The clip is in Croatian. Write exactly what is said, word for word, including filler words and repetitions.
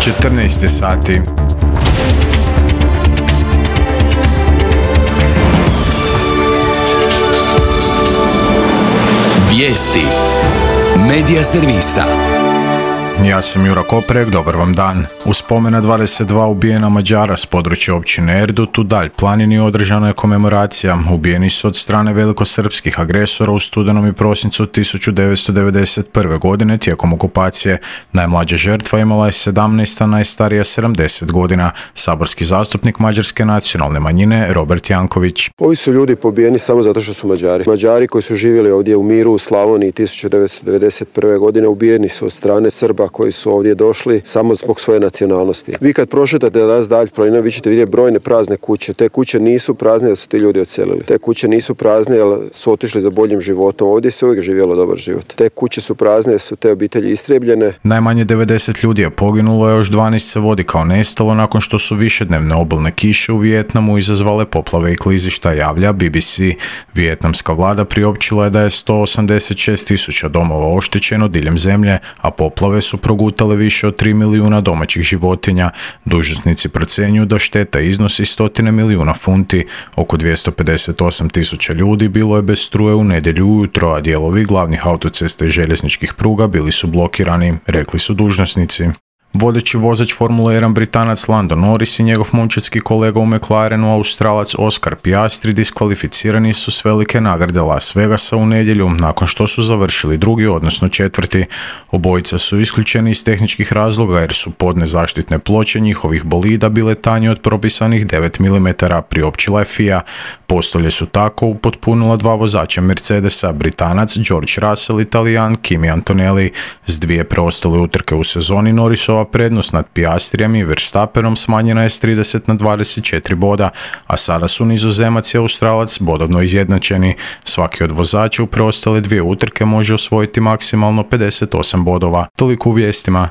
četrnaest sati. Vijesti Medija servisa. Ja sam Jura Koprek, dobar vam dan. U spomen na dvadeset dva ubijena Mađara s područja općine Erdut u Dalj planini održana je komemoracija. Ubijeni su od strane velikosrpskih agresora u studenom i prosincu tisuću devetsto devedeset prve. godine tijekom okupacije. Najmlađa žrtva imala je sedamnaest, a najstarija sedamdeset godina. Saborski zastupnik mađarske nacionalne manjine Robert Janković. Ovi su ljudi pobijeni samo zato što su Mađari. Mađari koji su živjeli ovdje u miru u Slavoniji tisuću devetsto devedeset prve. godine ubijeni su od strane Srba koji su ovdje došli samo zbog svoje nacionalnosti. Vi kad prošetate danas Dalj planinom, vi ćete vidjeti brojne prazne kuće. Te kuće nisu prazne jer su ti ljudi odselili. Te kuće nisu prazne jer su otišli za boljim životom. Ovdje se uvijek živjelo dobar život. Te kuće su prazne jer su te obitelji istrijebljene. Najmanje devedeset ljudi je poginulo, a još dvanaest se vodi kao nestalo nakon što su višednevne obilne kiše u Vijetnamu izazvale poplave i klizišta, javlja B B C. Vijetnamska vlada priopćila je da je sto osamdeset šest tisuća domova oštećeno diljem zemlje, a poplave su progutale više od tri milijuna domaćih životinja. Dužnosnici procjenjuju da šteta iznosi stotine milijuna funti. Oko dvjesto pedeset osam tisuća ljudi bilo je bez struje u nedjelju ujutro, a dijelovi glavnih autocesta i željezničkih pruga bili su blokirani, rekli su dužnosnici. Vodeći vozač Formule jedan Britanac Lando Norris i njegov momčadski kolega u McLarenu Australac Oscar Piastri diskvalificirani su s velike nagrade Las Vegasa u nedjelju nakon što su završili drugi, odnosno četvrti. Obojica su isključeni iz tehničkih razloga jer su podne zaštitne ploče njihovih bolida bile tanje od propisanih devet milimetara, priopćila je F I A. Postolje su tako upotpunila dva vozača Mercedesa, Britanac George Russell i Talijan Kimi Antonelli. S dvije preostale utrke u sezoni Norrisova prednost nad Piastrijem i Verstappenom smanjena je s trideset na dvadeset četiri boda, a sada su Nizozemac i Australac bodovno izjednačeni. Svaki od vozača u preostale dvije utrke može osvojiti maksimalno pedeset osam bodova. Toliko u vijestima.